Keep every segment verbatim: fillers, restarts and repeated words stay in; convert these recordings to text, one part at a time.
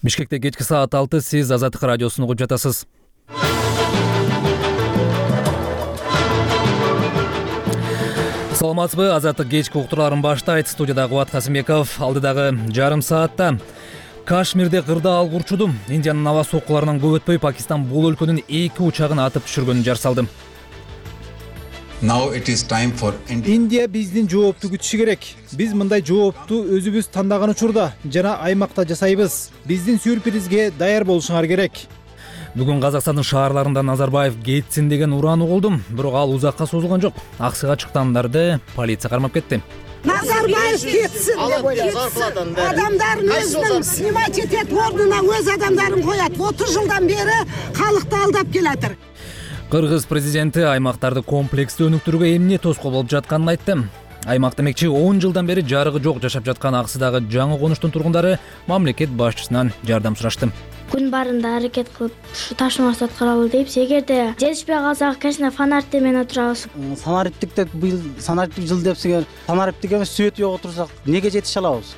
Бишкекте кечки саат алты, сиз Азаттык радиосун угуп жатасыз. Саламатсызбы? Азаттык кечки уктурууларын баштайт. Студияда Кубат Касымбеков. Алдыдагы жарым саатта Кашмирде кырдаал курчуду. Индиянын аба соккуларынан көп өтпөй Пакистан бул өлкөнүн эки учагын атып түшүргөнүн жар салды. Индия биздин жоопту күтүшү керек. Биз мындай жоопту өзүбүз тандаган учурда жана аймакта жасайбыз. Биздин сюрпризге даяр болушуңар керек. Бүгүн Казакстандын шаарларында Назарбаев кетсин деген ураан угулду, бирок ал узакка созулган жок. Аксыга чыктандарды полиция кармап кетти. Назарбаев кетсин деп ойлойт. Адамдарын өзүнүн снимать этет, ордуна өз адамдарын коет. отуз жылдан бери калкты алдап келатыр. Кыргыз президенти аймактарды комплекстүү өнүктүрүүгө эмне тоскоол болуп жатканын айтты. Аймак демекчи он жылдан бери жарыгы жок жашап жаткан Аксыдагы жаңы конуштун тургундары мамлекет башчысынан жардам сурашты. Күн барында аракет кылып ушу ташмасы аткарабыл дейбиз. Эгерде жетишпей калсак, конечно, фонарьты менен отурабыз. Санариптик деп быйыл санариптик жыл депсиңер, санариптик эмес свет жок отурсак, эмнеге жетише алабыз?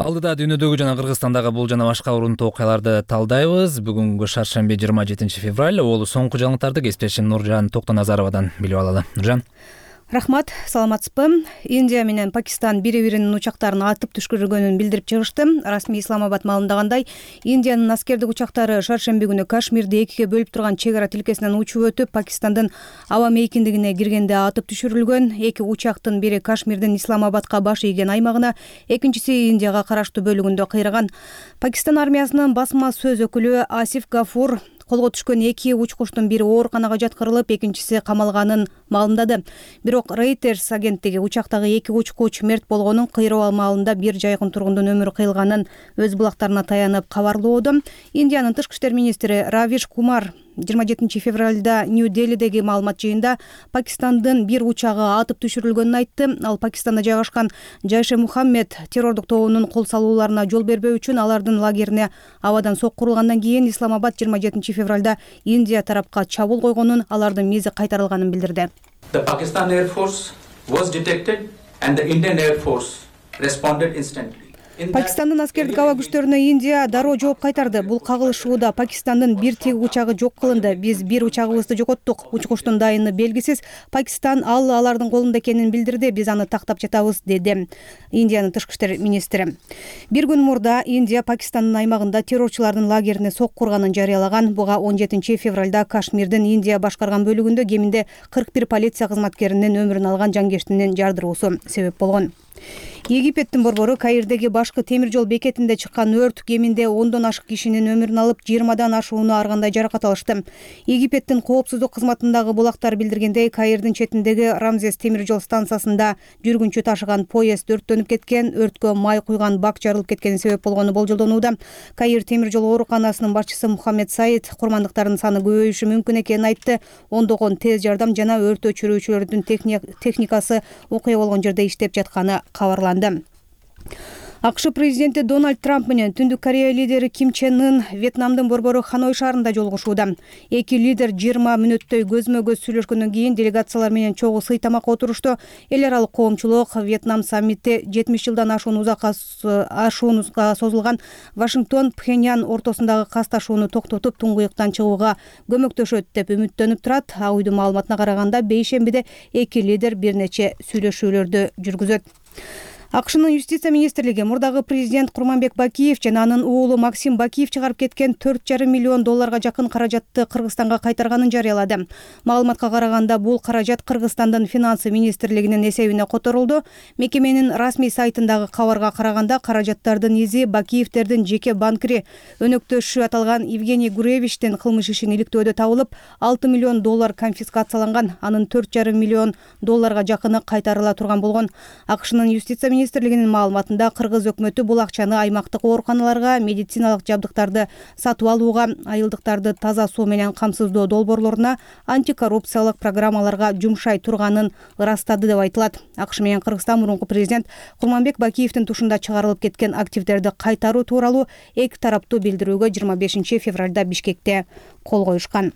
Алдыда дүйнөдөгү жана Кыргызстандагы бул жана башка урунтуу окуяларды талдайбыз. Бүгүнкү шаршемби жыйырма жетинчи февраль. Ол соңку жаңылыктарды кесиптешим Нуржан Токтоназаровадан билип алалы. Нуржан. Рахмат, саламатсызбы? Индия менен Пакистан бири-биринин учактарын атып түшкүргөнүн билдирип чыгышты. Расмий Исламабад маалымдагандай, Индиянын аскердик учактары шаршемби күнү Кашмирди экиге бөлүп турган чек ара тилкесинен учуп өтүп, Пакистандын аба мейкиндигине киргенде атып түшүрүлгөн. Эки учактын бири Кашмирдин Исламабадка баш ийген аймагына, экинчиси Индияга караштуу бөлүгүндө кыйраган. Пакистан армиясынын басма сөз өкүлү Асиф Гафур колго түшкөн эки учкучтун бири ооруканага жаткырылып, экинчиси камалганын маалымдады. Бирок Reuters агенттиги учактагы эки учкуч мерт болгонун, кыйроо маалында бир жайкын тургундун өмүрү кыйылганын өз булактарына таянып кабарлоодо. Индиянын тышкы иштер министри Равиш Кумар жыйырма жетинчи февралда Нью-Делидеги маалымат жыйында Пакистандын бир учагы атып түшүрүлгөнүн айтты. Ал Пакистанда жайгашкан Жайше Мухаммед террордук тобунун кол салууларына жол бербөө үчүн алардын лагерине абадан сокку урулгандан кийин Исламабад жыйырма жетинчи февралда Индия тарапка чабуул койгонун, алардын мизи кайтарылганын билдирди. The Pakistan Air Force was detected and the Indian Air Force responded instantly. Пакистандын аскердик аба күчтөрүнө Индия дароо жооп кайтарды. Бул кагылышууда Пакистандын бир тиги учагы жок кылынды. Биз бир учагыбызды жоготтук. Учкучтун дайыны белгисиз. Пакистан ал алардын колунда экенин билдирди. Биз аны тактап жатабыз, деди Индиянын тышкы иштер министри. Бир күн мурда Индия Пакистандын аймагында террорчулардын лагерине сокку урганын жарыялаган. Буга он жетинчи февралда Кашмирдин Индия башкарган бөлүгүндө кеминде кырк бир полиция кызматкеринин өмүрүн алган жангештинин жардыруусу себеп болгон. Египеттин борбору Каирдеги башкы темир жол бекетинде чыккан өрт кеминде ондон ашык кишинин өмүрүн алып, жыйырмадан ашууну ар кандай жаракат алышты. Египеттин коопсуздук кызматындагы булактар билдиргендей, Каирдин четиндеги Рамзес темир жол станциясында жүргүнчү ташыган поезд өрттөнүп кеткен, өрткө май куйган бак жарылып кеткени себеп болгону болжолдонууда. Каир темир жол ооруканасынын башчысы Мухаммед Саид курмандыктардын саны көбөйүшү мүмкүн экенин айтты. Ондогон тез жардам жана өрт өчүрүүчүлөрдүн техникасы окуя болгон жерде иштеп жатканы кабарланды. АКШ президенти Дональд Трамп менен Түндүк Корея лидери Ким Чен Ын Вьетнамдын борбору Ханой шаарында жолугушууда. Эки лидер жыйырма мүнөттөй көзмө-көз сүйлөшкөндөн кийин делегациялар менен чогуу сыйтамакка отурушту. Эл аралык коомчулук Вьетнам саммити жетимиш жылдан ашуун узакка ашуунга созулган Вашингтон Пхеньян ортосундагы касташууну токтотуп, туңгуюктан чыгууга көмөктөшөт деп үмүттөнүп турат. А уйдун маалыматына караганда, бейшембиде эки лидер бир нече сүйлөшүүлөрдү жүргүзөт. АКШнын юстиция министрлиги мурдагы президент Курманбек Бакиев жана анын уулу Максим Бакиев чыгарып кеткен төрт жарым миллион долларга жакын каражатты Кыргызстанга кайтарганын жарыялады. Маалыматка караганда, бул каражат Кыргызстандын финансы министрлигинин эсебине которулду. Мекеменин расмий сайтындагы кабарга караганда, каражаттардын изи Бакиевтердин жеке банкири өнөктөшү аталган Евгений Гуревичтин кылмыш ишин иликтөөдө табылып, алты миллион доллар конфискацияланган. Анын төрт жарым миллион долларга жакыны кайтарыла турган болгон. АКШнын юстиция министрлигинин маалыматында, кыргыз өкмөтү бул акчаны аймактык ооруканаларга, медициналык жабдыктарды сатып алууга, айылдыктарды таза суу менен камсыздоо долбоорлоруна, антикоррупциялык программаларга жумшай турганын ырастады деп айтылат. АКШ менен Кыргызстан мурунку президент Курманбек Бакиевдин тушунда чыгарылып кеткен активдерди кайтаруу тууралуу эки тараптуу билдирүүгө жыйырма бешинчи февралда Бишкекте кол коюшкан.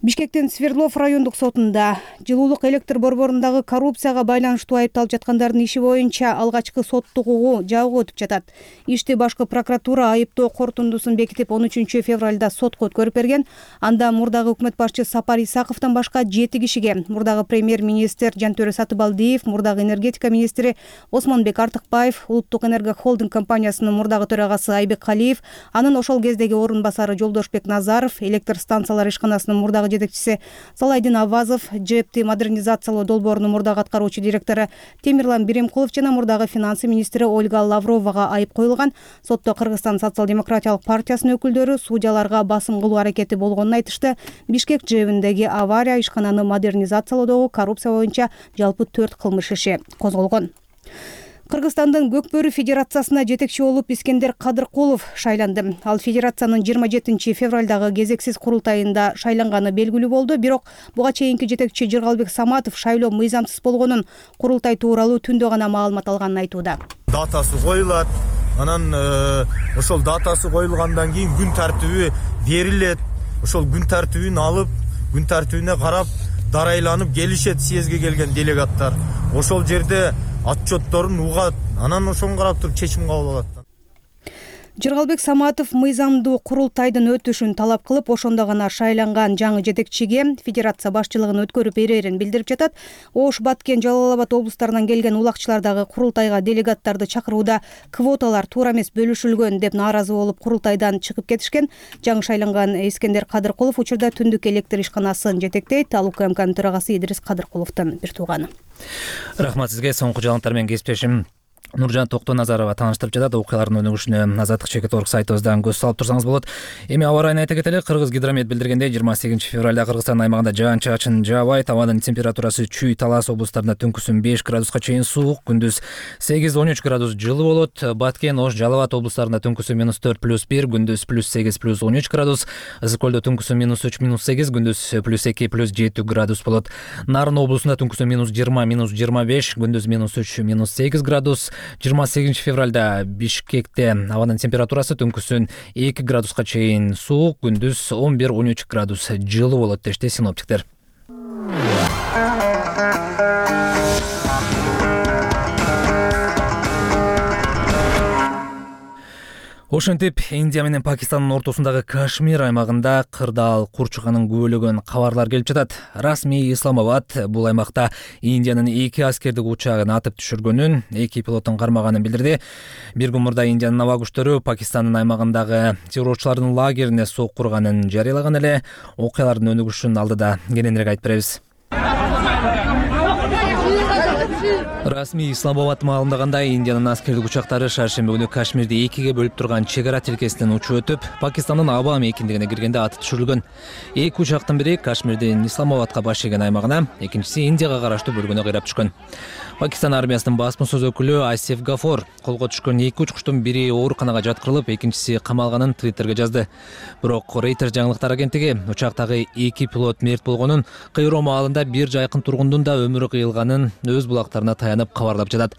Бишкектин Свердлов райондук сотунда жылуулук электр борборундагы коррупцияга байланыштуу айыпталып жаткандардын иши боюнча алгачкы соттук угуу жабык өтүп жатат. Ишти башкы прокуратура айыптоо корутундусун бекитип он үчүнчү февралда сотко өткөрүп берген. Анда мурдагы өкмөт башчы Сапар Исаковдон башка жети кишиге, мурдагы премьер-министр Жантөрө Сатыбалдиев, мурдагы энергетика министри Осмонбек Артыкбаев, Улуттук энерго холдинг компаниясынын мурдагы төрагасы Айбек Калиев, анын ошол кездеги орун басары Жолдошбек Назаров, электр станциялар ишканасынын мурдагы жетекчиси Салайдин Авазов, ЖЭПти модернизациялоо долбоорунун мурдагы аткаруучу директору Темирлан Биремкулов жана мурдагы финансы министри Ольга Лавровага айып коюлган. Сотто Кыргызстан социал-демократиялык партиясынын өкүлдөрү судьяларга басым кылуу аракети болгонун айтышты. Бишкек ЖЭБиндеги авария ишкананы модернизациялоодогу коррупция боюнча жалпы төрт кылмыш иши козголгон. Кыргызстандын Көкбөрү федерациясына жетекчи болуп Искендер Кадыркулов шайланды. Ал федерациянын жыйырма жетинчи февралдагы кезексиз курултайында шайланганы белгилүү болду. Бирок буга чейинки жетекчи Жыргалбек Саматов шайлоо мыйзамсыз болгонун, курултай тууралуу түндө гана маалымат алганын айтууда. Датасы коюлат, анан ошол датасы коюлгандан кийин күн тартиби берилет. Ошол күн тартибин алып, күн тартибине карап дарайланып келишет съезге келген делегаттар. Ошол жерде отчетторун угат, анан ошону карап туруп чечим кабыл алат. Жыргалбек Саматов мыйзамдуу курултайдын өтүшүн талап кылып, ошондо гана шайланган жаңы жетекчиге федерация башчылыгын өткөрүп берерин билдирип жатат. Ош, Баткен, Жалал Абад облустарынан келген улакчылар дагы курултайга делегаттарды чакырууда квоталар туура эмес бөлүшүлгөн деп нааразы болуп курултайдан чыгып кетишкен. Жаңы шайланган Искендер Кадыркулов учурда түндүк электр ишканасын жетектейт. Ал УКМКнын төрагасы Идрис Кадыркуловдун бир тууганы. Рахмат сизге. Соңку жаңылыктар менен кесиптешим Нуржан Токтоназарова тааныштырып жатат. Окуялардын өнүгүшүнө Азаттык чекит орг сайтыбыздан көз салып турсаңыз болот. Эми аба ырайын айта кетели. Кыргыз гидромет билдиргендей, жыйырма сегизинчи февралда Кыргызстан аймагында жаан-чачын жаабайт. Абанын температурасы Чүй, Талас облустарында түнкүсүн беш градуска чейин суук, күндүз сегиз он үч градус жылы болот. Баткен, Ош, Жалал Абад облустарында түнкүсүн минус төрт плюс бир, күндүз плюс сегиз плюс он үч градус. Ысык көлдө түнкүсүн минус үч минус сегиз, күндүз плюс эки плюс жети градус болот. Нарын облусунда түнкүсүн минус жыйырма минус жыйырма беш, күндүз минус үч минус сегиз градус. жыйырма сегизинчи февралда Бишкекте абанын температурасы түнкүсүн эки градуска чейин суук, күндүз он бир он үч градус жылы болот дешти синоптиктер. Ошентип, Индия менен Пакистандын ортосундагы Кашмир аймагында кырдаал курчуганын күбөлөгөн кабарлар келип жатат. Расмий Исламабад бул аймакта Индиянын эки аскердик учагын атып түшүргөнүн, эки пилоттун кармаганын билдирди. Бир күн мурда Индиянын аба күчтөрү Пакистандын аймагындагы террорчулардын лагерине сок курганын жарыялаган эле. Окуялардын өнүгүшүнүн алдыда кененирээк айтып беребиз. Расмий Исламабад маалымдагандай, Индиянын аскердик учактары шаршемби күнү Кашмирди экиге бөлүп турган чек ара тилкесинен учуп өтүп, Пакистандын аба мейкиндигине киргенде атып түшүрүлгөн. Эки учактын бири Кашмирдин Исламабадка баш ийген аймагына, экинчиси Индияга караштуу бөлгөнү кыйрап түшкөн. Пакистан армиясынын басма-сөз өкүлү Асиф Гафор колго түшкөн эки учкучтун бири ооруканага жаткырылып, экинчиси камалганын Твиттерге жазды. Бирок Reuters жаңылыктар агенттиги учактагы эки пилот мерт болгонун, кыйроо маалында бир жайкын тургундун да өмүрү кыйылганын өз булактарына таянып кабарлап жатат.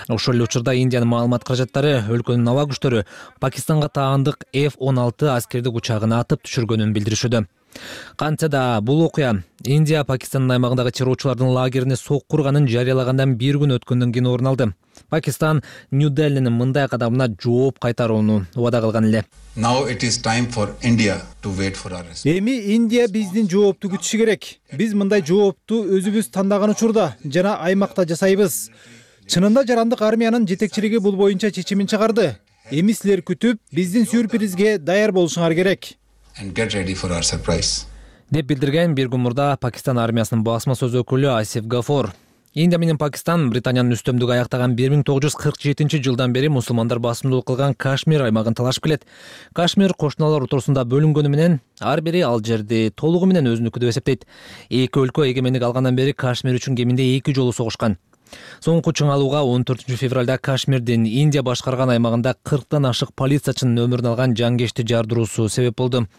Ошол эле учурда Индиянын маалымат каражаттары өлкөнүн аба күчтөрү Пакистанга таандык эф он алты аскердик учагын атып түшүргөнүн билдиришүүдө. Кантсе да бул окуя Индия Пакистандын аймагындагы террорчулардын лагерине сок курганын жарыялагандан бир күн өткөндөн кийин орун алды. Пакистан Нью-Делинин мындай кадамына жооп кайтарууну убада кылган эле. Эми Индия биздин жоопту күтүшү керек. Биз мындай жоопту өзүбүз тандаган учурда жана аймакта жасайбыз. Чынында жарандык армиянын жетекчилиги бул боюнча чечимин чыгарды. Эми силер күтүп, биздин сюрпризге даяр болушуңар керек. деп билдирген бир күн мурда Пакистан армиясынын басма-сөз өкүлү Асиф Гафор. Индия менен Пакистан Британиянын үстөмдүгү аяктаган бир миң тогуз жүз кырк жетинчи жылдан бери мусулмандар басымдуулук кылган Кашмир аймагын талашып келет. Кашмир кошуналар ортосунда бөлүнгөнү менен ар бири ал жерди толугу менен өзүнүкү деп эсептейт. Эки өлкө эгемендик алгандан бери Кашмир үчүн кеминде эки жолу согушкан. Соңку чыңалууга он төртүнчү февралда Кашмирдин Индия башкарган аймагында кырктан ашык полициячынын өмүрүн алган жангечти жардыруусу себеп болду.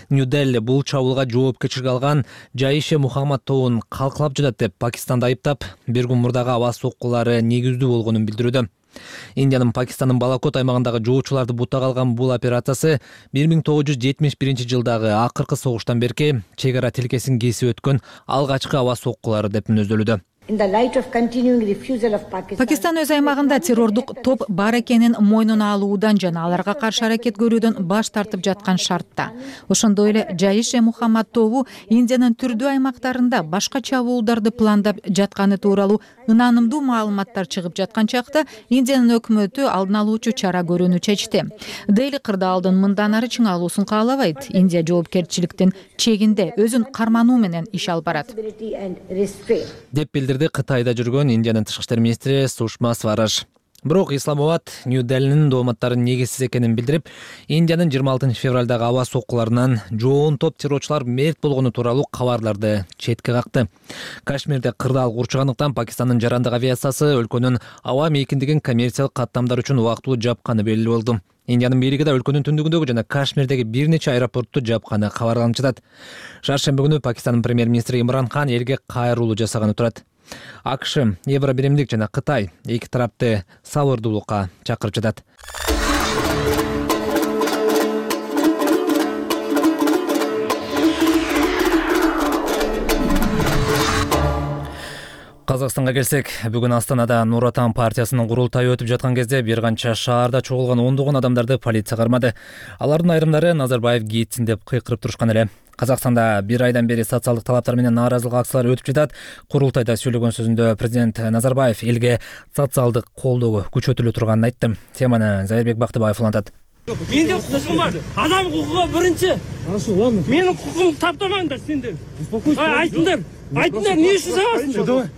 Нью-Дели бул чабуулга жоопкерчилик алган Жайше Мухаммад тобун калкалап жатат деп Пакистанды айыптап, бир күн мурдагы аба соккулары негиздүү болгонун билдирүүдө. Индиянын Пакистандын Балакот аймагындагы жоочуларды бутага алган бул операциясы бир миң тогуз жүз жетимиш биринчи жылдагы акыркы согуштан берки чек ара тилкесин кесип өткөн алгачкы аба соккулары деп мүнөздөлүүдө. Пакистан өз аймагында террордук топ бар экенин мойнуна алуудан жана аларга каршы аракет көрүүдөн баш тартып жаткан шартта. Ошондой эле Жаиш-э Мухаммад тобу Индиянын түрдүү аймактарында башка чабуулдарды пландап жатканы тууралуу ынанымдуу маалыматтар чыгып жаткан чакта Индиянын өкмөтү алдын алуучу чара көрүүнү чечти. Дели кырдаалдын мындан ары чыңалуусун каалабайт. Индия жоопкерчиликтин чегинде өзүн кармануу менен иш алып барат деп билдирди Кытайда жүргөн Индиянын тышкы иштер министри Сушма Свараж. Бирок Исламабад Нью-Делинин дооматтарын негизсиз экенин билдирип, Индиянын жыйырма алтынчы февралдагы аба соккуларынан жоон топ террорчулар мерт болгону тууралуу кабарларды четке какты. Кашмирде кырдаал курчугандыктан Пакистандын жарандык авиациясы өлкөнүн аба мейкиндигин коммерциялык каттамдар үчүн убактылуу жапканы белгилүү болду. Индиянын бийлиги да өлкөнүн түндүгүндөгү жана Кашмирдеги бир нече аэропортту жапканы кабарланып жатат. Шаршемби күнү Пакистандын премьер-министри Имран Хан элге кайрылуу жасаганы турат. АКШ, Евро биримдик жана Кытай эки тарапты сабырдуулукка чакырып жатат. Казакстанга келсек, бүгүн Астанада Нур Отан партиясынын курултайы өтүп жаткан кезде бир канча шаарда чогулган ондогон адамдарды полиция кармады. Алардын айрымдары Назарбаев кетсин деп кыйкырып турушкан эле. Казакстанда бир айдан бери социалдык талаптар менен нааразылык акциялары өтүп жатат. Курултайда сөйлөгөн сөзүндө президент Назарбаев элге социалдык колдоо күчөтүлө турганын айтты. Теманы Зайырбек Бактыбаев улантат. Менде укугум бар. Адам укугу биринчи. Менин укугумду таптамаңдар сендер. Айтыңдар. Айтыңдар, эмне үчүн сабасыңдар?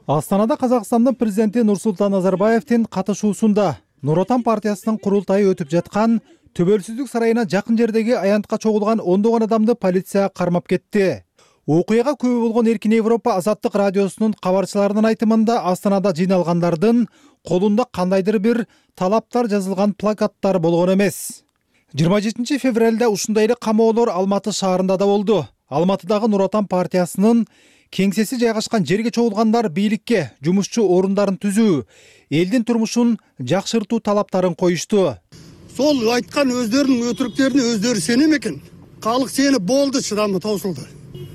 Астанада Казакстандын президенти Нурсултан Назарбаевдин катышуусунда Нур Отан партиясынын курултайы өтүп жаткан Төбөлсүздүк сарайына жакын жердеги аянтка чогулган ондогон адамды полиция кармап кетти. Окуяга күбө болгон Эркин Европа Азаттык радиосунун кабарчыларынын айтымында Астанада жыйналгандардын колунда кандайдыр бир талаптар жазылган плакаттар болгон эмес. жыйырма жетинчи февралда ушундай эле камоолор Алматы шаарында да болду. Алматыдагы Нур Отан партиясынын кеңсеси жайгашкан жерге чогулгандар бийликке жумушчу орундарын түзүү, элдин турмушун жакшыртуу талаптарын коюшту. Сол айткан өздөрүнүн өтүрүктөрүнө өздөрү сенем экен. Калык сени болду, чыдамы таусулду.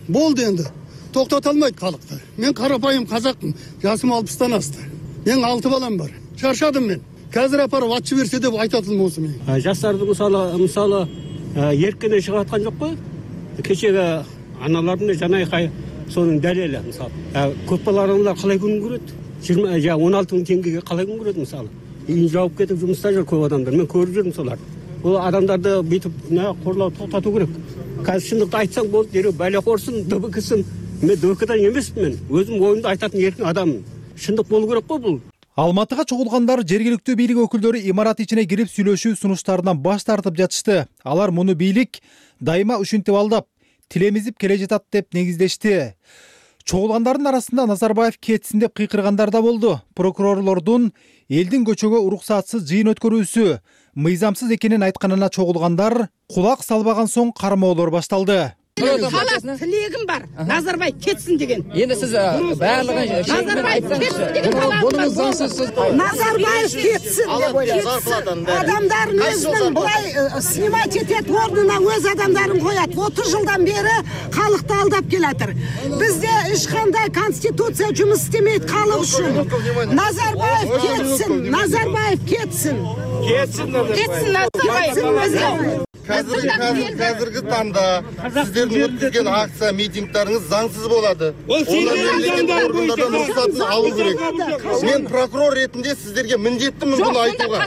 Болду энди. Токтото албайт калыкты. Мен карапайым казакмын. Жасым алпыстан асты. Мен алты балам бар. Чарчадым мен. Казыр апарып атчы берсе деп айтат элем осу мен. Жаштарды мисалы, мисалы эркине чыгып аткан жокпу? Кечеге аналардын жанайкай сонун далели мисалы. Көп балалар калай күн көрөт? жыйырма же он алты миң теңгеге калай күн көрөт мисалы? Үй жауып кетип жумушта жүр көп адамдар. Мен көрүп жүрмүн соларды. Бул адамдарды бүтүп корлоо токтотуу керек. Казыр чындыкты айтсаң болду, дереу байлакорсун, ДБКсын. Мен ДБКдан эмесмин мен. Өзүм оюмду айтатын эркин адаммын. Чындык болуу керек го бул. Алматыга чогулгандар жергиликтүү бийлик өкүлдөрү имарат ичине кирип сүйлөшүү сунуштарынан баш тартып жатышты. Алар муну бийлик дайыма ушинтип алдап, тилемизип келе жатат деп негиздешти. Чогулгандардын арасында Назарбаев кетсин деп кыйкыргандар да болду. Прокурорлордун элдин көчөгө уруксатсыз жыйын өткөрүүсү мыйзамсыз экенин айтканына чогулгандар кулак салбаган соң кармоолор башталды. Халас тилегим бар. Назарбаев кетсин деген. Енді сіз барлығын Назарбаев кетсин деген талабым бар. Назарбаев кетсин деп ойлойм. Адамдарын өзүнүн былай снимать этет, ордуна өз адамдарын коят. отуз жылдан бери калыкты алдап келатыр. Бизде эч кандай конституция жумуш истемейт калык үчүн. Назарбаев кетсин, Назарбаев кетсин. Кетсин, Кетсин Назарбаев. Қазіргі қазіргі таңда сіздердің өткізген акция митингтеріңіз заңсыз болады. Оны мемлекеттік органдардан рұқсатын алу керек. Мен прокурор ретінде сіздерге міндеттімін бұны айтуға.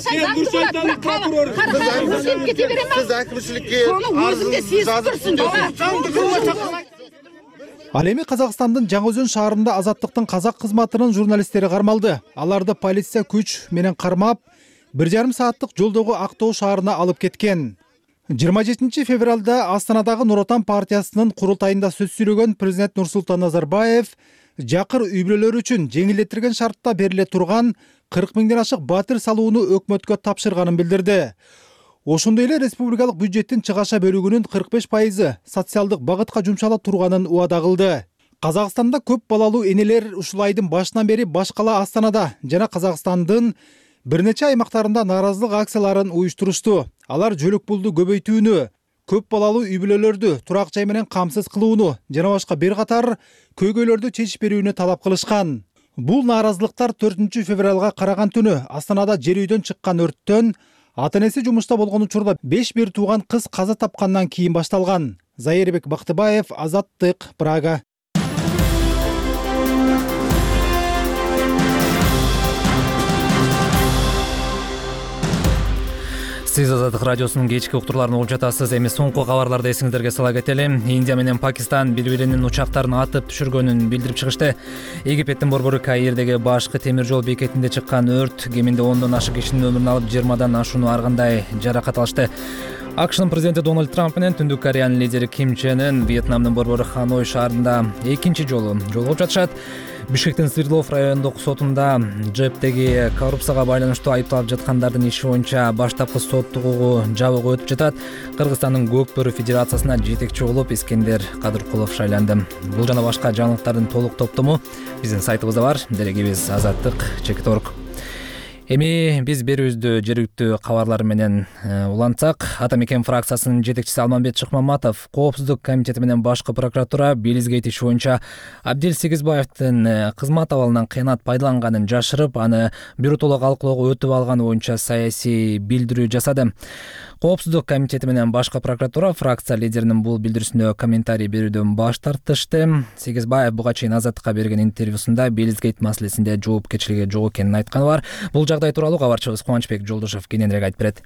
Сіз әкімшілікке арызын жазып түсіндірсіз. Ал эми Казакстандын Жаңы-Өзөн шаарында Азаттыктын казак кызматынын журналисттери кармалды. Аларды полиция күч менен кармап, бир жарым сааттык жолдогу Актоо шаарына алып кеткен. жыйырма жетинчи февралда Астанадагы Нур Отан партиясынын курултайында сөз сүйлөгөн президент Нурсултан Назарбаев жакыр үй бүлөлөр үчүн жеңилдетилген шартта бериле турган кырк миңден ашык батир салууну өкмөткө тапшырганын билдирди. Ошондой эле республикалык бюджеттин чыгаша бөлүгүнүн кырк беш пайызы социалдык багытка жумшала турганын убада кылды. Казакстанда көп балалуу энелер ушул айдын башынан бери баш кала Астанада жана Казакстандын бир нече аймактарында нааразылык акцияларын уюштурушту. Алар жөлөк пулду көбөйтүүнү, көп балалуу үй бүлөлөрдү турак жай менен камсыз кылууну жана башка бир катар көйгөйлөрдү чечип берүүнү талап кылышкан. Бул нааразылыктар төртүнчү февралга караган түнү Астанада жер үйдөн чыккан өрттөн ата энеси жумушта болгон учурда беш бир тууган кыз каза тапкандан кийин башталган. Зайырбек Бактыбаев, Азаттык, Прага. Сиз Азаттык радиосунун кечки уктурларын угуп жатасыз. Эми соңку кабарларды эсиңиздерге сала кетели. Индия менен Пакистан бири-биринин учактарын атып түшүргөнүн билдирип чыгышты. Египеттин борбору Каирдеги башкы темир жол бекетинде чыккан өрт кеминде ондон ашык кишинин өмүрүн алып, жыйырмадан ашууну ар кандай жаракат алышты. АКШнын президенти Дональд Трамп менен Түндүк Кореянын лидери Ким Чен Ын Вьетнамдын борбору Ханой шаарында экинчи жолу жолугуп жатышат. Бишкектин Свердлов райондук сотунда ЖЭПтеги коррупцияга байланыштуу айыпталып жаткандардын иши боюнча баштапкы соттук угуу жабыгы өтүп жатат. Кыргызстандын Көк Бөрү Федерациясына жетекчи болуп Искендер Кадыркулов шайланды. Бул жана башка жаңылыктардын толук топтому биздин сайтыбызда бар. Делегибиз азаттык чекит орг. Эми биз берүүбүздү жергиликтүү кабарлар менен улантсак, Ата мекен фракциясынын жетекчиси Алмамбет Шыкмаматов коопсуздук комитети менен башкы прокуратура Белизгейт иши боюнча Абдил Сегизбаевдин кызмат абалынан кыянат пайдаланганын жашырып, аны биротоло калкылоого өтүп алганы боюнча саясий билдирүү жасады. Коопсуздук комитети менен башкы прокуратура фракция лидеринин бул билдирүүсүнө комментарий берүүдөн баш тартышты. Сегизбаев буга чейин Азаттыкка берген интервьюсунда Белизгейт маселесинде жоопкерчилиги жок экенин айтканы бар. Бул жагдай тууралуу кабарчыбыз Кубанычбек Жолдошов кененирээк айтып берет.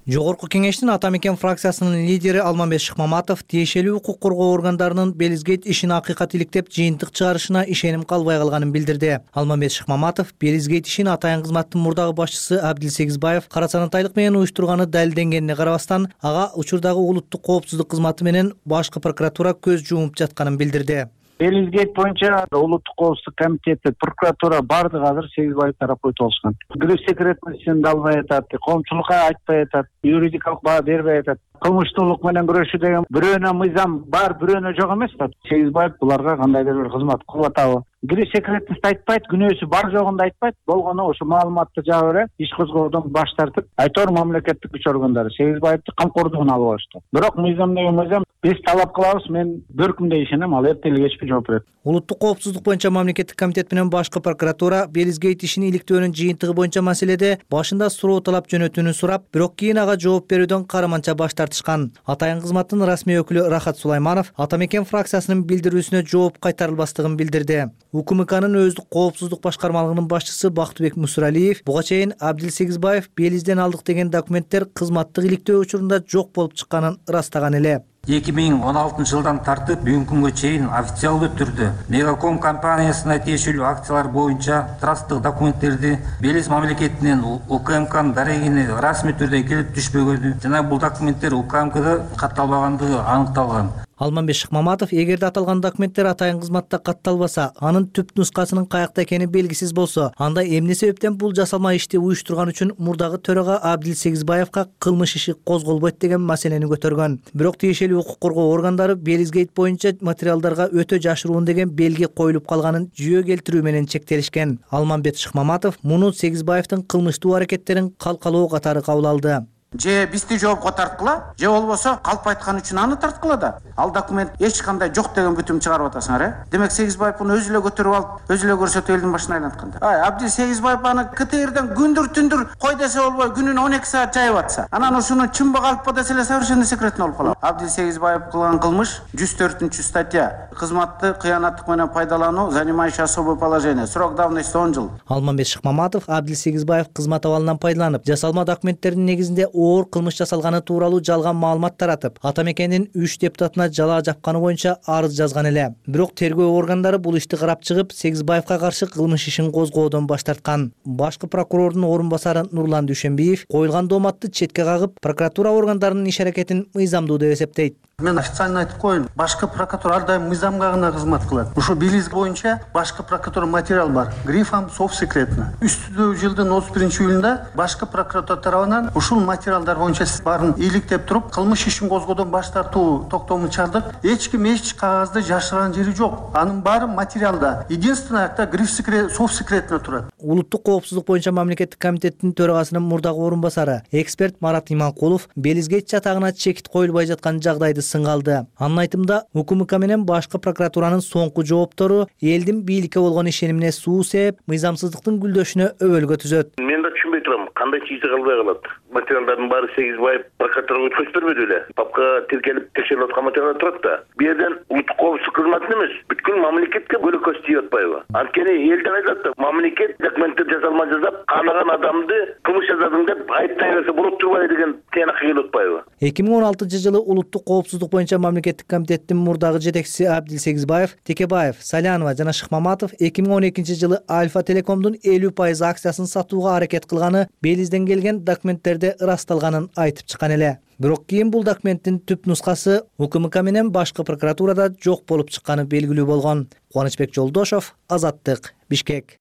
Жогорку кеңештин Ата мекен фракциясынын лидери Алмамбет Шыкмаматов тиешелүү укук коргоо органдарынын Белизгейт ишин акыйкат иликтеп жыйынтык чыгарышына ишеним калбай калганын билдирди. Алмамбет Шыкмаматов Белизгейт ишин атайын кызматтын мурдагы башчысы Абдил Сегизбаев карасанатайлык менен уюштурганы далилденгенине карабастан, ага учурдагы улуттук коопсуздук кызматы менен башкы прокуратура көз жумуп жатканын билдирди. Белизгейт боюнча улуттук коопсуздук комитети, прокуратура бардыгы азыр Сегизбаев тарапы өтүп алышкан. Гриф секретностьун да албай атат, коомчулукка айтпай атат, юридикалык баа бербей атат. Кылмыштуулук менен күрөшүү деген бирөөнө мыйзам бар, бирөөнө жок эмес да. Сегизбаев буларга кандайдыр бир кызмат кылып атабы? Гриф секретность айтпайт, күнөөсү бар жогун да айтпайт. Болгону ошо маалыматты жаба бере, иш козгоодон баш тартып, айтор мамлекеттик күч органдары Сегизбаевди камкордугуна алып алышты. Бирок мыйзам деген мыйзам, биз талап кылабыз, мен бөркүмдө ишенем, ал эртели кечпи жооп берет. Улуттук коопсуздук боюнча мамлекеттик комитет менен башкы прокуратура Белизгейт ишин иликтөөнүн жыйынтыгы боюнча маселеде башында суроо талап жөнөтүүнү сурап, бирок кийин ага жооп берүүдөн караманча баш тартышкан. Атайын кызматтын расмий өкүлү Рахат Сулайманов Ата мекен фракциясынын билдирүүсүнө жооп кайтарылбастыгын билдирди. УКМКнын өздүк коопсуздук башкармалыгынын башчысы Бактыбек Мусуралиев буга чейин Абдил Сегизбаев Белизден алдык деген документтер кызматтык иликтөө учурунда жок болуп чыкканын ырастаган эле. эки миң он алтынчы жылдан тартып бүгүнкү күнгө чейин официалдуу түрдө Мегаком компаниясына тиешелүү акциялар боюнча трасттык документтерди Белиз мамлекетинен УКМКнын дарегине расмий түрдө келип түшпөгөнү жана бул документтер УКМКда катталбагандыгы аныкталган. Алмамбет Шыкмаматов эгерде аталган документтер атайын кызматта катталбаса, анын түп нускасынын каякта экени белгисиз болсо, анда эмне себептен бул жасалма ишти уюштурган үчүн мурдагы төрага Абдил Сегизбаевка кылмыш иши козголбойт деген маселени көтөргөн. Бирок тиешелүү укук коргоо органдары Белизгейт боюнча материалдарга өтө жашыруун деген белги коюлуп калганын жүйө келтирүү менен чектелишкен. Алмамбет Шыкмаматов муну Сегизбаевдин кылмыштуу аракеттерин калкалоо катары кабыл алды. Же бизди жоопко тарткыла, же болбосо калп айткан үчүн аны тарткыла да. Ал документ эч кандай жок деген бүтүм чыгарып атасыңар, э? Демек Сегизбаев муну өзү эле көтөрүп алып, өзү эле көрсөтүп элдин башына айлантканда. Ай, Абдил Сегизбаев аны КТРден күндүр түндүр кой десе болбой, күнүнө он эки саат жайып атса, анан ушуну чынбы калппы десе эле совершенно секретно болуп калат. Абдил Сегизбаев кылган кылмыш жүз төртүнчү статья. Кызматты кыянаттык менен пайдалануу, занимающий особое положение. Срок давности он жыл. Алмамбет Шыкмаматов Абдил Сегизбаев кызмат абалынан пайдаланып, жасалма документтердин негизинде оор кылмыш жасалган тууралуу жалган маалымат таратып, Ата мекендин үч депутатына жалаа жапканы боюнча арыз жазган эле. Бирок тергөө органдары бул ишти карап чыгып, Сегизбаевка каршы кылмыш ишин козгоодон баш тарткан. Башкы прокурордун орун басары Нурлан Дүйшөнбиев коюлган дооматты четке кагып, прокуратура органдарынын иш аракетин мыйзамдуу деп эсептейт. Мен официально айтып коеюн, башкы прокуратура ар дайым мыйзамга гана кызмат кылат. Ушул Белиз боюнча башкы прокуратура материал бар, грифом «Софт секретно». Үстүдө жылдын отуз биринчи июлунда башкы прокуратура тарабынан ушул материалдар боюнча баарын иликтеп туруп, кылмыш ишин козгоодон баш тартуу токтомун чыгардык. Эч ким эч кагазды жашырган жери жок. Анын баары материалда. Единственное, акта гриф секрет, «Софт секретно» турат. Улуттук коопсуздук боюнча мамлекеттик комитеттин төрагасынын мурдагы орун басары, эксперт Марат Иманкулов Белизгейт жатагына чекит коюлбай жаткан жагдайды сынга алды. Анын айтымында, УКМК менен башкы прокуратуранын соңку жооптору элдин бийликке болгон ишенимине суу сээп, мыйзамсыздыктын гүлдөшүнө өбөлгө түзөт. Мен да түшүнбөй турам, кандай чыйсы калбай калат. Материалдардын баары Сегизбаев прокуратурага өткөзүп бербеди эле. Папка тиркелип текшерип аткан материалдар турат да. Бу жерден улуттук коопсуздук кызматын эмес, бүткүл мамлекетке бөлөкөз тийип атпайбы? Анткени элден айтат да, мамлекет документтер жасалма жасап, канаган адамды кылмыш жасадың деп айыптай берсе болот турбайбы деген тыянакка келип атпайбы? эки миң он алтынчы жылы улуттук коопсуздук боюнча мамлекеттик комитеттин мурдагы жетекчиси Абдил Сегизбаев, Текебаев, Салянова жана Шыкмаматов эки миң он экинчи жылы Альфа Телекомдун элүү пайыз акциясын сатууга аракет кылганы Белизден келген документтерде ырасталганын айтып чыккан эле. Бирок кийин бул документтин түп нускасы УКМК менен башкы прокуратурада жок болуп чыкканы белгилүү болгон. Кубанычбек Жолдошов, Азаттык, Бишкек.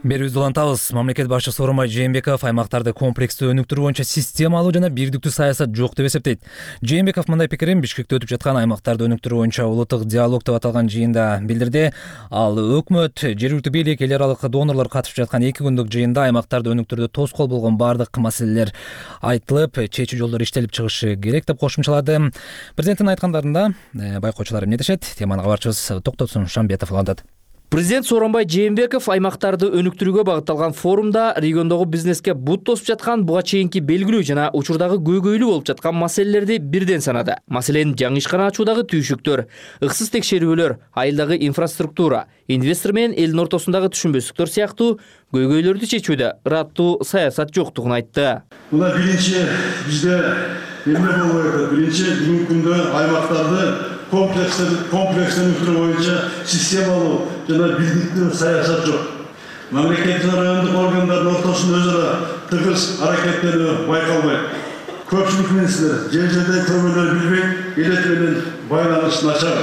Берүүбүздү улантабыз. Мамлекет башчысы Сооронбай Жээнбеков аймактарды комплекстүү өнүктүрүү боюнча системалуу жана бирдиктүү саясат жок деп эсептейт. Жээнбеков мындай пикирин Бишкекте өтүп жаткан аймактарды өнүктүрүү боюнча улуттук диалог деп аталган жыйында билдирди. Ал өкмөт, жергиликтүү бийлик, эл аралык донорлор катышып жаткан эки күндүк жыйында аймактарды өнүктүрүүдө тоскоол болгон бардык маселелер айтылып, чечүү жолдору иштелип чыгышы керек деп кошумчалады. Президенттин айткандарында байкоочулар эмне дешет? Теманы кабарчыбыз Токтосун Шамбетов улантат. Президент Сооронбай Жээнбеков аймактарды өнүктүрүүгө багытталган форумда региондогу бизнеске бут тосуп жаткан буга чейинки белгилүү жана учурдагы көйгөйлүү болуп жаткан маселелерди бирден санады. Маселен, жаңы ишкана ачуудагы түйшүктөр, ыксыз текшерүүлөр, айылдагы инфраструктура, инвестор менен элдин ортосундагы түшүнбөстүктөр сыяктуу көйгөйлөрдү чечүүдө ыраттуу саясат жоктугун айтты. Мына биринчи бизде эмне болуп атат? Биринчи бүгүнкү күндө аймактарды комплекстен комплекстен өткөрүү боюнча системалуу жана бирдиктүү саясат жок. Мамлекеттик райондук органдардын ортосунда өз ара тыгыз аракеттенүү байкалбайт. Көпчүлүк министрлер жер жерде көбөлөр билбей, элек менен байланыш начар.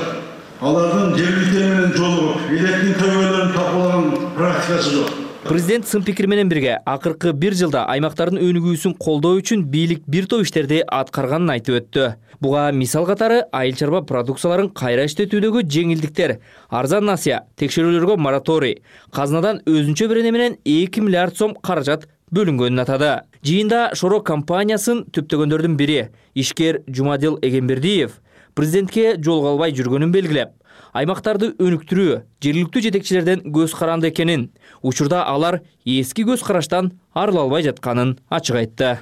Алардын жергиликтер менен жолугуп, электин көбөлөрүн тапалаган практикасы жок. Президент сын пикир менен бирге акыркы бир жылда аймактардын өнүгүүсүн колдоо үчүн бийлик бир топ иштерди аткарганын айтып өттү. Буга мисал катары айыл чарба продукцияларын кайра иштетүүдөгү жеңилдиктер, арзан насыя, текшерүүлөргө мораторий, казынадан өзүнчө берене менен эки миллиард сом каражат бөлүнгөнүн атады. Жыйында Шоро компаниясын түптөгөндөрдүн бири ишкер Жумадил Эгембердиев президентке жол калбай жүргөнүн белгилеп, аймактарды өнүктүрүү жергиликтүү жетекчилерден көз каранды экенин, учурда алар эски көз караштан арыла албай жатканын ачык айтты.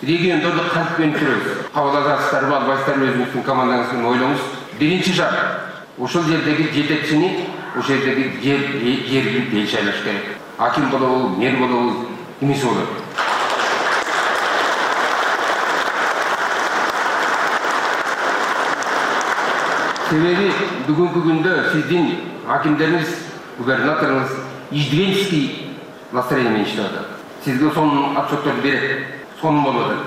Региондорду кантип өнүктүрөбүз? Кабыл аласыздарбы, албайсыздарбы, өзүңүздүн командаңыздын ойлоңуз. Биринчи шарт, ошол жердеги жетекчини, ошол жердеги жергиликтүү эл шайлаш керек. Аким болобу, мэр болобу, эмеси болот. Себеби бүгүнкү күндө сиздин акимдериңиз, губернаторуңуз издвенческий настроение менен иштеп атат. Сизге сонун отчеттор берет. Сонун болуп атат.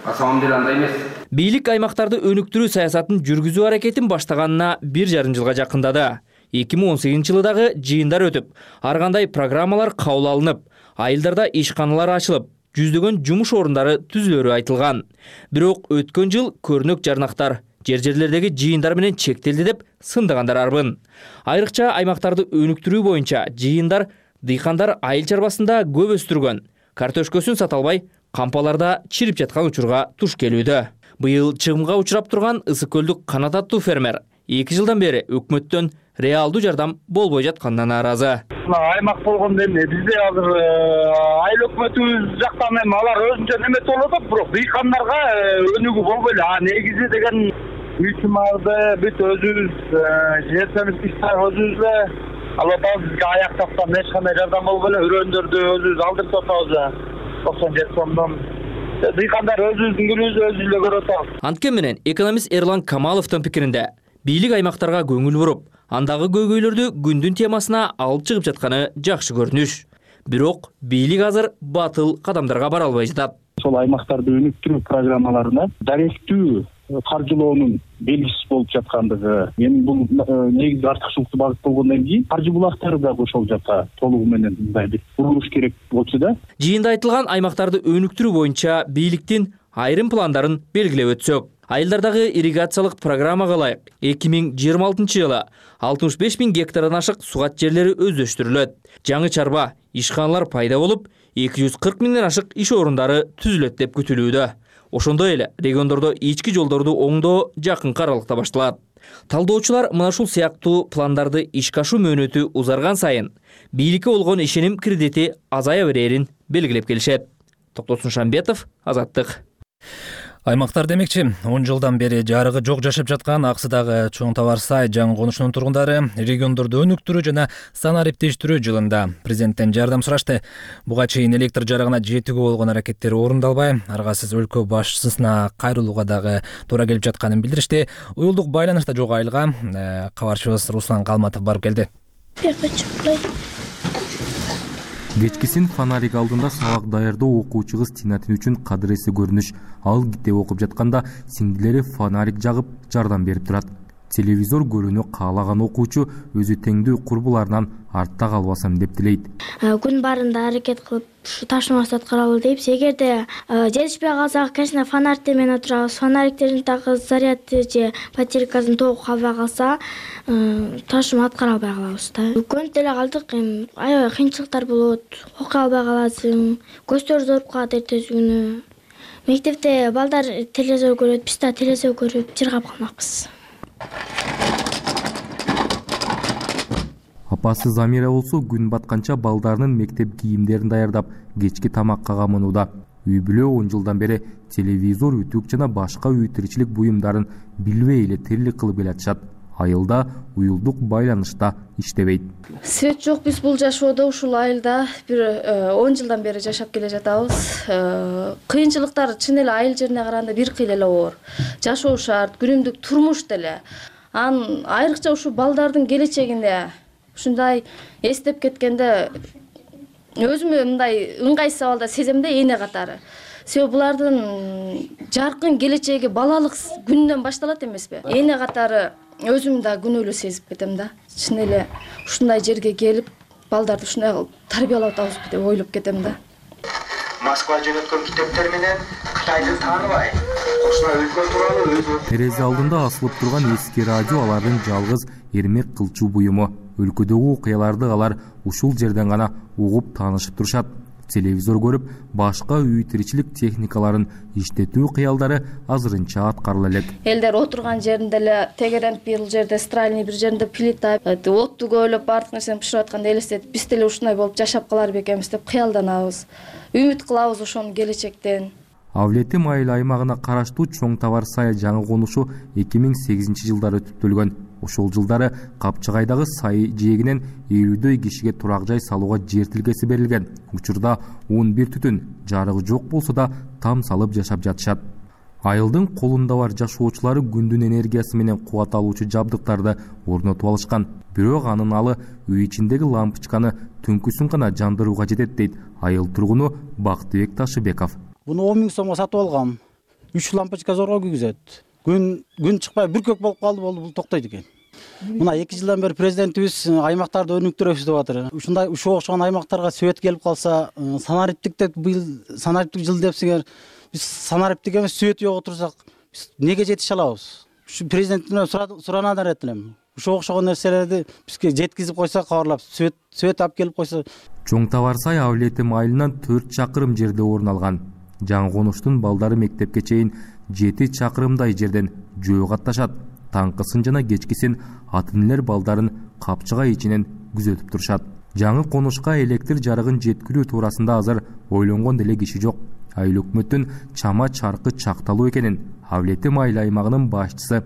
А самом деле андай эмес. Бийлик аймактарды өнүктүрүү саясатын жүргүзүү аракетин баштаганына бир жарым жылга жакындады. эки миң он сегизинчи жылы дагы жыйындар өтүп, ар кандай программалар кабыл алынып, айылдарда ишканалар ачылып, жүздөгөн жумуш орундары түзүлөрү айтылган. Бирок өткөн жыл көрнөк жарнактар жер-жерлердеги жыйындар менен чектелди деп сындагандар арбын. Айрыкча аймактарды өнүктүрүү боюнча жыйындар дыйкандар айыл чарбасында көп өстүргөн, картошкөсүн сата албай, кампаларда чирип жаткан учурга туш келүүдө. Быйыл чыгымга учурап турган Ысык көлдүк Канат аттуу фермер эки жылдан бери өкмөттөн реалдуу жардам болбой жатканына нааразы. Аймак болгондо эмне бизде азыр айыл өкмөтүбүз жактан эми алар өзүнчө неме болуп атат, бирок дыйкандарга өнүгүү болбой эле. А негизи деген үчүмарды бүт өзүбүз жертемиз иштеп өзүбүз эле алып атабыз. Бизге аяк жактан эч кандай жардам болбой эле өрөөндөрдү өзүбүз алдырып атабыз. токсон жети сомдон дыйкандар өзүбүздүн күнүбүздү өзүбүз эле көрүп атабыз. Анткени менен экономист Эрлан Камаловдун пикиринде бийлик аймактарга көңүл буруп, андагы көйгөйлөрдү күндүн темасына алып чыгып жатканы жакшы көрүнүш. Бирок бийлик азыр батыл кадамдарга бара албай жатат. ошол аймактарды өнүктүрүү программаларына даректүү каржылоонун белгисиз болуп жаткандыгы, эми бул негизи артыкчылыктуу багыт болгондон кийин каржы булактары дагы ошол жака толугу менен мындай бир бурулуш керек болчу да. Жыйында айтылган аймактарды өнүктүрүү боюнча бийликтин айрым пландарын белгилеп өтсөк, айылдардагы ирригациялык программага ылайык эки миң жыйырма алтынчы жылы алтымыш беш миң гектардан ашык сугат жерлери өздөштүрүлөт. Жаңы чарба ишканалар пайда болуп, эки жүз кырк миңден ашык иш орундары түзүлөт деп күтүлүүдө. Ошондой эле региондордо ички жолдорду оңдоо жакынкы аралыкта башталат. Талдоочулар мына ушул сыяктуу пландарды ишке ашуу мөөнөтү узарган сайын бийликке болгон ишеним кредити азая берерин белгилеп келишет. Токтосун Шамбетов, Азаттык. Аймактар демекчи, он жылдан бери жарыгы жок жашап жаткан Аксыдагы Чоң Табар Сай жаңы конушунун тургундары региондорду өнүктүрүү жана санариптештирүү жылында президенттен жардам сурашты. Буга чейин электр жарыгына жетүүгө болгон аракеттер орундалбай, аргасыз өлкө башчысына кайрылууга дагы туура келип жатканын билдиришти. Уюлдук байланышта жок айылга кабарчыбыз Руслан Калматов барып келди. Кечкисин фонарик алдында сабак даярдоо окуучу кыз Тинатын үчүн кадыресе көрүнүш. Ал китеп окуп жатканда сиңдилери фонарик жагып жардам берип турат. Телевизор көрүүнү каалаган окуучу өзү теңдүү курбуларынан артта калбасам деп тилейт. Күн барында аракет кылып ушу ташмасы аткаралы дейбиз. Эгерде жетишпей калсак, конечно, фонарикте менен отурабыз. Фонариктердин такы зарядты же батарейкасын тогуп калбай калса, ташма аткара албай калабыз да. Көнүп деле калдык, эми аябай кыйынчылыктар болот. Окуй албай каласың, көздөр ооруп калат эртеси күнү. Мектепте балдар телевизор көрөт, биз да телевизор көрүп жыргап калмакпыз. Апасы Замира болсо күн батканча балдарынын мектеп кийимдерин даярдап, кечки тамакка камынууда. Үй бүлө он жылдан бери телевизор, үтүк жана башка үй тиричилик буюмдарын билбей эле тирлик кылып келатышат. Айылда уюлдук байланышта иштебейт. Свет жок, биз бул жашоодо ушул айылда бир он жылдан бери жашап келе жатабыз. Кыйынчылыктар чын эле айыл жерине караганда бир кыйла эле оор. Жашоо шарт, күнүмдүк турмуш деле. Анын айрыкча ушул балдардын келечегинде ушундай эстеп кеткенде өзүмө мындай ыңгайсыз абалда сезем да, эне катары. Себеби булардын жаркын келечеги балалык күнүнөн башталат эмеспи? Эне катары өзүм да күнөөлүү сезип кетем да. Чын эле ушундай жерге келип, балдарды ушундай кылып тарбиялап атабызбы деп ойлоп кетем да. Москва жөнөткөн китептер менен Кытайды тааныбай, кошуна өлкө тууралуу өзү. Терезе алдында асылып турган эски радио алардын жалгыз эрмек кылчу буюму. Өлкөдөгү окуяларды алар ушул жерден гана угуп таанышып турушат. Телевизор көрүп, башка үй тиричилик техникаларын иштетүү кыялдары азырынча аткарыла элек. Элдер отурган жеринде эле тегерен бир жерде стральный, бир жеринде плита, отту көйлөп бардык нерсени бышырып атканда элестетип, биз деле ушундай болуп жашап калар бекенбиз деп кыялданабыз. Үмүт кылабыз ошону келечектен. Авлетим айыл аймагына караштуу Чоң Табар Сай жаңы конушу эки миң сегизинчи жылдары түптөлгөн. Ошол жылдары Капчыгайдагы Сай жээгинен элүүдөй кишиге турак жай салууга жер тилкеси берилген. Учурда он бир түтүн, жарыгы жок болсо да там салып жашап жатышат. Айылдын колунда бар жашоочулары күндүн энергиясы менен кубат алуучу жабдыктарды орнотуп алышкан. Бирок анын алы үй ичиндеги лампочканы түнкүсүн гана жандырууга жетет дейт айыл тургуну Бактыбек Ташыбеков. Буну он миң сомго сатып алгам. үч лампочка зорго күйгүзөт. Күн күн чыкпай бүркөк болуп калды, болду, бул токтойт экен. Мына эки жылдан бери президентибиз аймактарды өнүктүрөбүз деп атыр. Ушундай ушуга окшогон аймактарга свет келип калса, санариптик деп быйыл санариптик жыл депсиңер, биз санариптик эмес свет жок отурсак, биз неге жетише алабыз? Ушу президенттен суранадан элем элем. Ушуга окшогон нерселерди бизге жеткизип койсо, кабарлап, свет свет алып келип койсо. Чоң Табар Сай Авлетим айылынан төрт чакырым жерде орун алган. Жаңы конуштун балдары мектепке чейин жети чакырымдай жерден жөө катташат. Таңкысын жана кечкисин ата-энелер балдарын Капчыгай ичинен күзөтүп турушат. Жаңы конушка электр жарыгын жеткирүү туурасында азыр ойлонгон деле киши жок. Айыл өкмөттүн чама чаркы чакталуу экенин Авлетим айыл аймагынын башчысы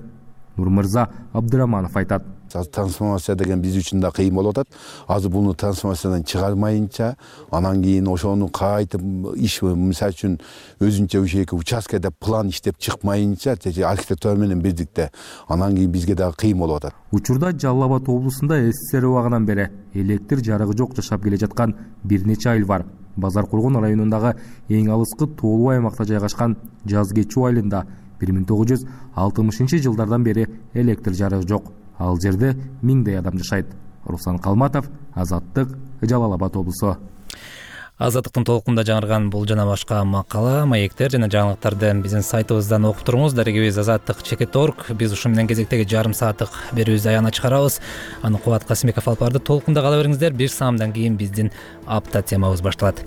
Нурмырза Абдыраманов айтат. Трансформация деген биз үчүн да кыйын болуп атат. Азыр буну трансформациядан чыгармайынча, анан кийин ошону кайтып иш, мисалы үчүн өзүнчө ушеки участкеде план иштеп чыкмайынча, архитектура менен бирдикте, анан кийин бизге дагы кыйын болуп атат. Учурда Жалал Абад облусунда СССР убагынан бери электр жарыгы жок жашап келе жаткан бир нече айыл бар. Базар Кургон районундагы эң алыскы тоолуу аймакта жайгашкан Жаз Кечүү айылында бир миң тогуз жүз алтымышынчы жылдардан бери электр жарыгы жок. Ал жерде миңдей адам жашайт. Руслан Калматов, Азаттык, Жалал Абад облусу. Азаттыктын толкунда жаңырган бул жана башка макала, маектер жана жаңылыктарды биздин сайтыбыздан окуп туруңуз. Дарегибиз азаттык чекит точка орг. Биз ушу менен кезектеги жарым сааттык берүүбүздү аягына чыгарабыз. Аны Кубат Касымбеков алып барды. Толкунда кала бериңиздер. Бир саамдан кийин биздин апта темабыз башталат.